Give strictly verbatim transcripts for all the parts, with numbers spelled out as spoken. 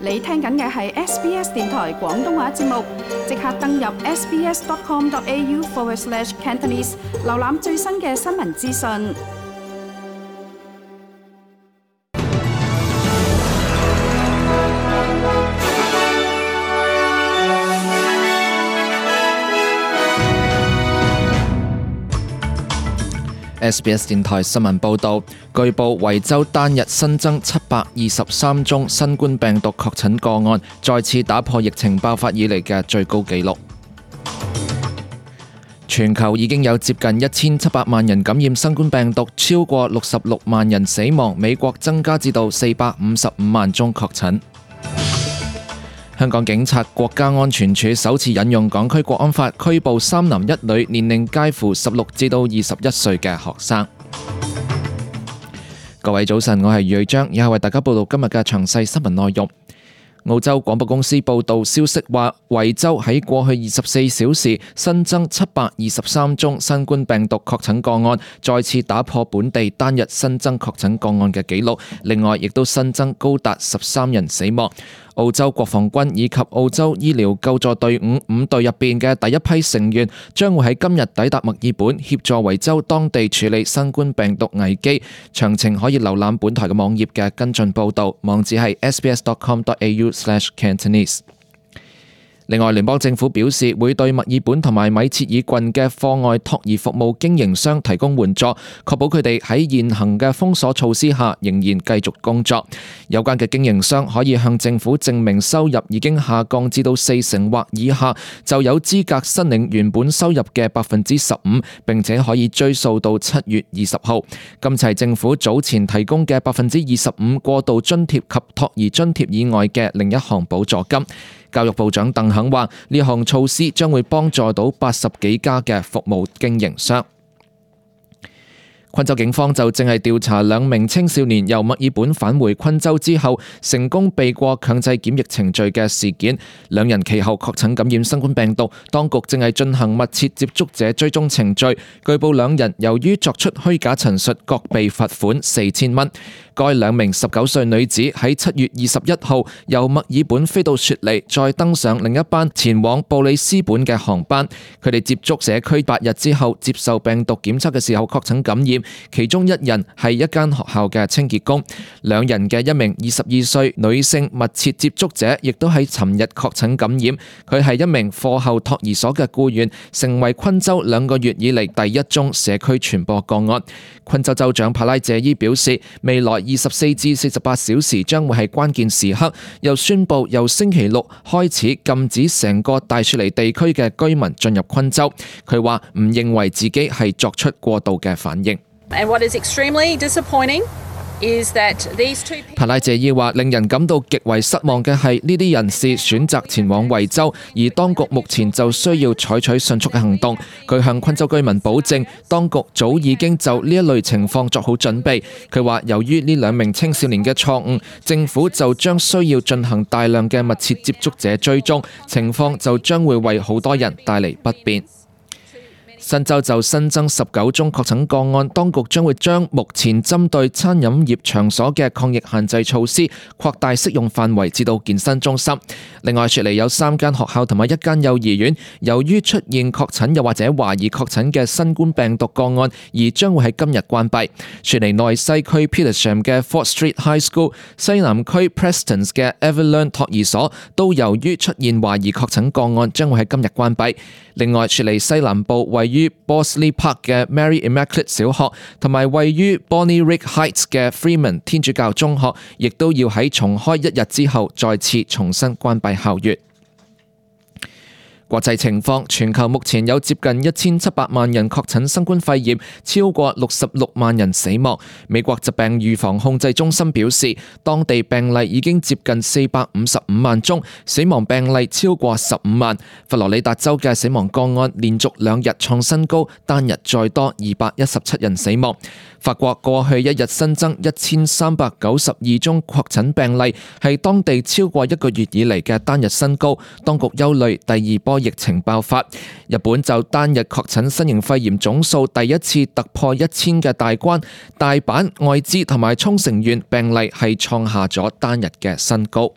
你聽緊嘅係 S B S 電台廣東話節目，即刻登入 sbs.com.au forward slash Cantonese， 瀏覽最新嘅新聞資訊。S B S 電台新聞報導，據報維州單日新增七百二十三宗新冠病毒確診個案，再次打破疫情爆發以嚟嘅最高紀錄。全球已經有接近一千七百萬人感染新冠病毒，超過六十六萬人死亡。美國增加至到四百五十五萬宗確診。香港警察國家安全處首次引用港區國安法拘捕三男一女，年齡介乎十六至到二十一歲嘅學生。各位早晨，我係瑞章，以下為大家報道今日嘅詳細新聞內容。澳洲廣播公司報道消息話，維州喺過去二十四小時新增七百二十三宗新冠病毒確診個案，再次打破本地單日新增確診個案嘅紀錄。另外，亦都新增高達十三人死亡。澳洲國防軍以及澳洲醫療救助隊伍五隊入邊嘅第一批成員將會喺今日抵達墨爾本，協助維州當地處理新冠病毒危機。詳情可以瀏覽本台嘅網頁嘅跟進報導，網址係 sbs.com.au slash Cantonese。另外，聯邦政府表示會對墨爾本同埋米切爾郡嘅課外托兒服務經營商提供援助，確保佢哋喺現行嘅封鎖措施下仍然繼續工作。有關嘅經營商可以向政府證明收入已經下降至到四成或以下，就有資格申領原本收入嘅百分之十五，並且可以追溯到七月二十號。今次係政府早前提供嘅百分之二十五過渡津貼及托兒津貼以外嘅另一項補助金。教育部長鄧肯話，呢項措施將會幫助到八十幾家嘅服務經營商。昆州警方就正係調查兩名青少年由墨爾本返回昆州之後成功避過強制檢疫程序嘅事件，兩人其後確診感染新冠病毒，當局正係進行密切接觸者追蹤程序。據報兩人由於作出虛假陳述，各被罰款四千蚊。該兩名十九歲女子喺七月二十一號由墨爾本飛到雪梨，再登上另一班前往布里斯本嘅航班。佢哋接觸社區八日之後接受病毒檢測嘅時候確診感染，其中一人係一間學校嘅清潔工。兩人嘅一名二十二歲女性密切接觸者亦都喺尋日確診感染，佢係一名課後托兒所嘅僱員，成為昆州兩個月以嚟第一宗社區傳播個案。昆州州長帕拉謝伊表示，未來二十四至四十八小時將會係關鍵時刻，又宣布由星期六開始禁止成個大雪梨地區嘅居民進入昆州。佢話唔認為自己係作出過度嘅反應。And what is extremely disappointing is that these two people... 帕拉謝伊話，令人感到極為失望嘅係呢啲人士選擇前往維州，而當局目前就需要採取迅速嘅行動。佢向昆州居民保證，當局早已經就呢一類情況作好準備。佢話，由於呢兩名青少年嘅錯誤，政府就將需要進行大量嘅密切接觸者追蹤，情況就將會為好多人帶嚟不便。新州就新增十九宗確診個案，當局將會將目前針對餐飲業場所嘅抗疫限制措施擴大適用範圍至到健身中心。另外，雪梨有三間學校同埋一間幼兒園，由於出現確診又或者懷疑確診嘅新冠病毒個案，而將會喺今日關閉。雪梨內西區 Petersham 嘅 Fort Street High School、西南區 Prestons 嘅 Everlearn 托兒所都由於出現懷疑確診個案，將會喺今日關閉。另外，雪梨西南部位於 Borsley Park 嘅 Mary Immaculate 小學同埋位於 Bonnyrigg Heights 嘅 Freeman 天主教中學，亦都要喺重開一日之後再次重新關閉校園。國際情況，全球目前有接近一千七百萬人確診新冠肺炎，超過六十六萬人死亡。美國疾病預防控制中心表示，當地病例已經接近四百五十五萬宗，死亡病例超過十五萬。佛羅里達州嘅死亡個案連續兩日創新高，單日再多二百一十七人死亡。法國過去一日新增一千三百九十二宗確診病例，係當地超過一個月以嚟嘅單日新高。當局憂慮第二波疫情爆發。日本就單日確診新型肺炎總數第一次突破一千嘅大關，大阪、愛知同埋沖繩縣病例係創下咗單日嘅新高。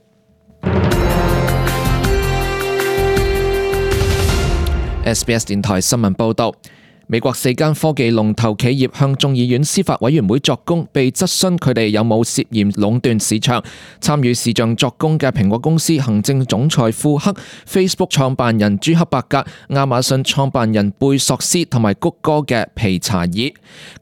S B S 電台新聞報道。美國四間科技龍頭企業向眾議院司法委員會作供，被質詢佢哋有冇涉嫌壟斷市場。參與視像作供嘅蘋果公司行政總裁庫克、Facebook 創辦人朱克伯格、亞馬遜創辦人貝索斯同埋谷歌嘅皮查爾。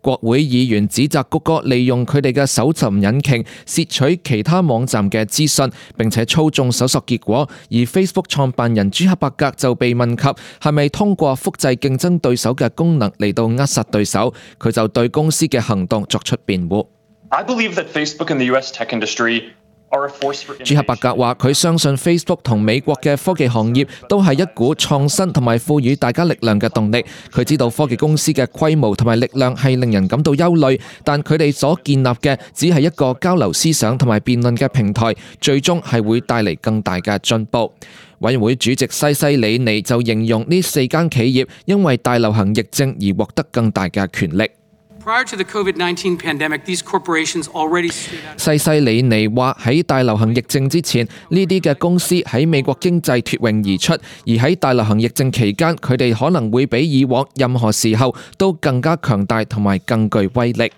國會議員指責谷歌利用佢哋嘅搜尋引擎竊取其他網站嘅資訊，並且操縱搜索結果。而 Facebook 創辦人朱克伯格就被問及係咪通過複製競爭對手嘅功能嚟到扼殺對手，佢就對公司嘅行動作出辯護。I believe that Facebook and the U S tech industry are a force for innovation. 朱克伯格話：佢相信 Facebook 同美國嘅科技行業都係一股創新同埋賦予大家力量嘅動力。佢知道科技公司嘅規模同埋力量係令人感到憂慮，但佢哋所建立嘅只係一個交流思想同埋辯論嘅平台，最終係會帶嚟更大嘅進步。委員會主席西西里尼就形容呢四間企業因為大流行疫症而獲得更大嘅權力。Prior to the COVID nineteen pandemic, these corporations already stood out. 西西里尼話喺大流行疫症之前，呢啲嘅公司喺美國經濟脫穎而出，而喺大流行疫症期間，佢哋可能會比以往任何時候都更加強大同埋更具威力。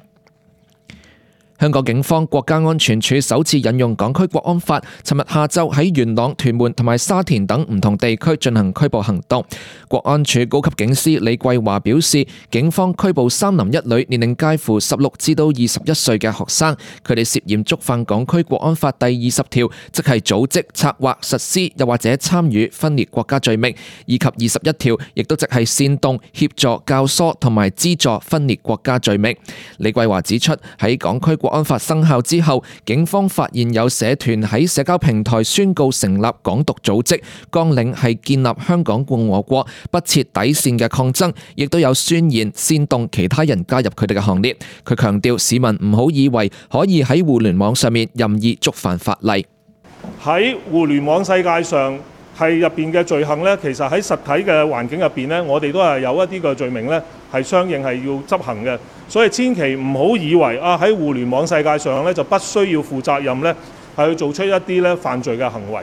香港警方國家安全處首次引用港區國安法，尋日下晝喺元朗、屯門同埋沙田等唔同地區進行拘捕行動。國安處高級警司李桂華表示，警方拘捕三男一女，年齡介乎十六至到二十一歲嘅學生，佢哋涉嫌觸犯港區國安法第二十條，即係組織、策劃、實施又或者參與分裂國家罪名，以及二十一條，亦都即係煽動、協助、教唆同埋資助分裂國家罪名。李桂華指出，喺港區國安法生效之後，警方發現有社團喺社交平台宣告成立港獨組織，綱領係建立香港共和國，不設底線嘅抗爭，亦都有宣言煽動其他人加入佢哋嘅行列。佢強調市民唔好以為可以喺互聯網上面任意觸犯法例。喺互聯網世界上係入邊嘅罪行呢，其實喺實體嘅環境入邊呢，我哋都係有一啲嘅罪名呢，係相應係要執行嘅。所以千祈唔好以為啊喺互聯網世界上呢，就不需要負責任呢，係去做出一啲呢犯罪嘅行為。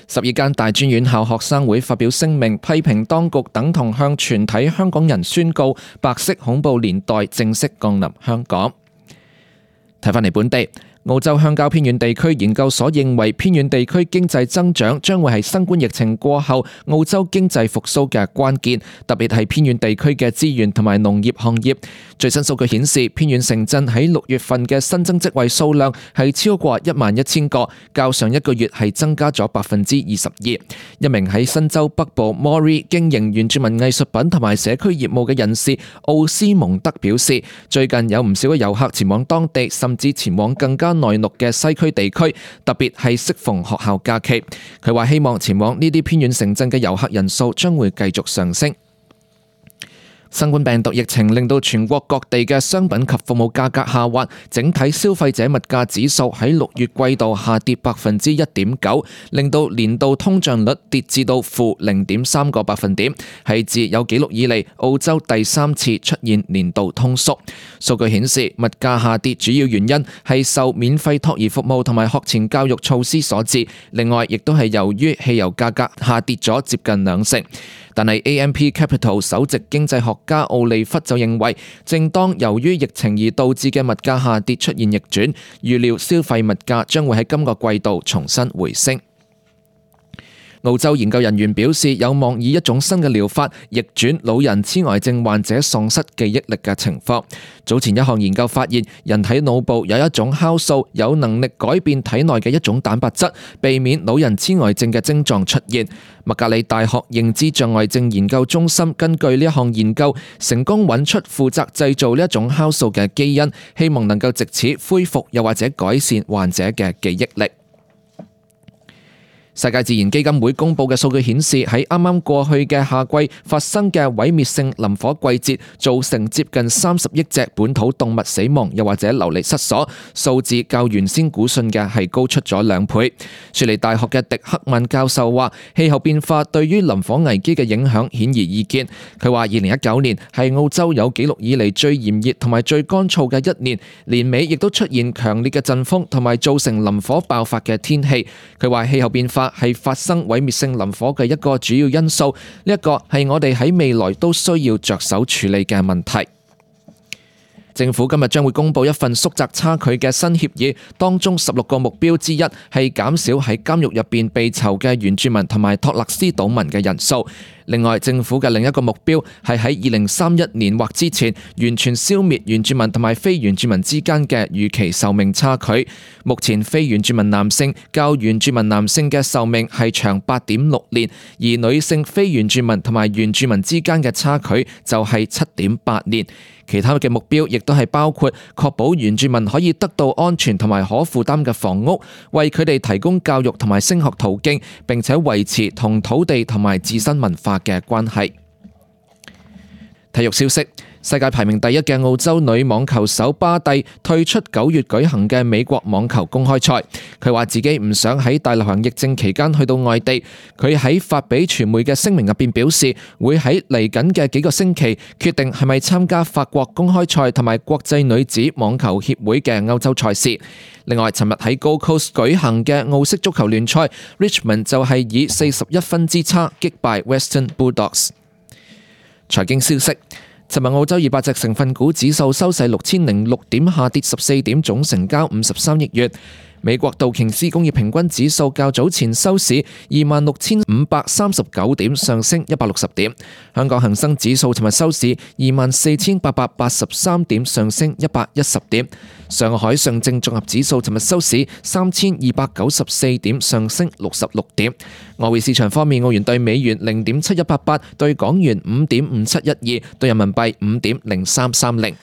十二間大專院校學生會發表聲明，批評當局等同向全體香港人宣告白色恐怖年代正式降臨香港。睇返嚟本地。澳洲鄉郊偏遠地區研究所認為，偏遠地區經濟增長將會係新冠疫情過後澳洲經濟復甦嘅關鍵，特別係偏遠地區嘅資源同埋農業行業。最新數據顯示，偏遠城鎮喺六月份嘅新增職位數量係超過一萬一千個，較上一個月係增加咗百分之二十二。一名喺新州北部 Moree 經營原住民藝術品同埋社區業務嘅人士奧斯蒙德表示，最近有唔少嘅遊客前往當地，甚至前往更加內陸嘅西區地區，特別係適逢學校假期。佢話希望前往呢啲偏遠城鎮嘅遊客人數將會繼續上升。新冠病毒疫情令到全國各地嘅商品及服務價格下滑，整體消費者物價指數喺六月季度下跌百分之一點九，令到年度通脹率跌至到負零點三個百分點，係自有紀錄以嚟澳洲第三次出現年度通縮。數據顯示，物價下跌主要原因係受免費托兒服務同埋學前教育措施所致，另外亦都係由於汽油價格下跌咗接近兩成。但係 A M P Capital 首席經濟學家奧利弗就認為，正當由於疫情而導致嘅物價下跌出現逆轉，預料消費物價將會喺今個季度重新回升。澳洲研究人員表示，有望以一種新嘅療法逆轉老人痴呆症患者喪失記憶力嘅情況。早前一項研究發現，人體腦部有一種酵素有能力改變體內嘅一種蛋白質，避免老人痴呆症嘅症狀出現。麥格里大學認知障礙症研究中心根據呢一項研究，成功揾出負責製造呢一種酵素嘅基因，希望能夠藉此恢復又或者改善患者嘅記憶力。世界自然基金會公佈嘅數據顯示，喺啱啱過去嘅夏季發生嘅毀滅性林火季節，造成接近三十億隻本土動物死亡，又或者流離失所，數字較原先估算嘅係高出咗兩倍。雪梨大學嘅迪克曼教授話，氣候變化對於林火危機嘅影響顯而易見。佢話，二零一九年係澳洲有紀錄以嚟最炎熱同埋最乾燥嘅一年，年尾亦都出現強烈嘅陣風同埋造成林火爆發嘅天氣。佢話氣候變化化係發生毀滅性林火嘅一個主要因素，呢一個係我哋喺未來都需要着手處理嘅問題。政府今日將會公布一份縮窄差距嘅新協議，當中十六個目標之一係減少喺監獄入邊被囚嘅原住民同埋托勒斯島民嘅人數。另外，政府嘅另一個目標係喺二零三一年或之前完全消滅原住民同埋非原住民之間嘅預期壽命差距。目前非原住民男性較原住民男性嘅壽命係長八點六年，而女性非原住民同埋原住民之間嘅差距就係七點八年。其他嘅目標亦都係包括確保原住民可以得到安全同埋可負擔嘅房屋，為佢哋提供教育同埋升學途徑，並且維持同土地同埋自身文化嘅關係。體育消息，世界排名第一嘅澳洲女網球手巴蒂退出九月舉行嘅美國網球公開賽。佢話自己唔想喺大流行疫症期間去到外地。佢喺發俾傳媒嘅聲明入邊表示，會喺嚟緊嘅幾個星期決定係咪參加法國公開賽同埋國際女子網球協會嘅歐洲賽事。另外，尋日喺 Gold Coast 舉行嘅澳式足球聯賽 ，Richmond 就係以四十一分之差擊敗 Western Bulldogs。財經消息，尋日澳洲二百隻成分股指數收市六千零六點，下跌十四點，總成交五十三億元。美國道瓊斯工業平均指數較早前收市二萬六千五百三十九點，上升一百六十點。香港恒生指數尋日收市二萬四千八百八十三點，上升一百一十點。上海上證綜合指數尋日收市三千二百九十四點，上升六十六點。外匯市場方面，澳元對美元零點七一八八，對港元五點五七一二，對人民幣五點零三三零。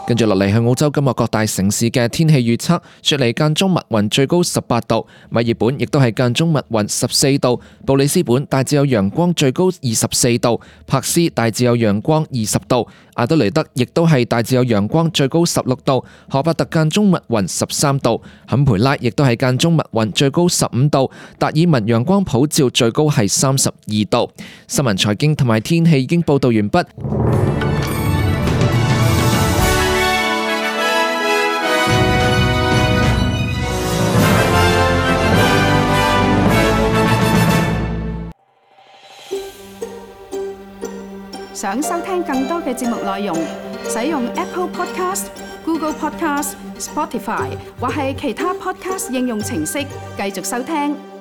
跟住落嚟係澳洲今日各大城市嘅天氣預測。雪梨間中密雲，最高十八度；墨爾本亦都係間中密雲，十四度；布里斯本大致有陽光，最高二十四度；柏斯大致有陽光，二十度；阿德雷德亦都係大致有陽光，最高十六度；荷伯特間中密雲，十三度；坎培拉亦都係間中密雲，最高十五度；達爾文陽光普照，最高係三十二度。新聞、財經同埋天氣已經報道完畢。想收聽更多嘅節目內容，使用 Apple Podcast、Google Podcast、Spotify 或係其他 Podcast 應用程式繼續收聽。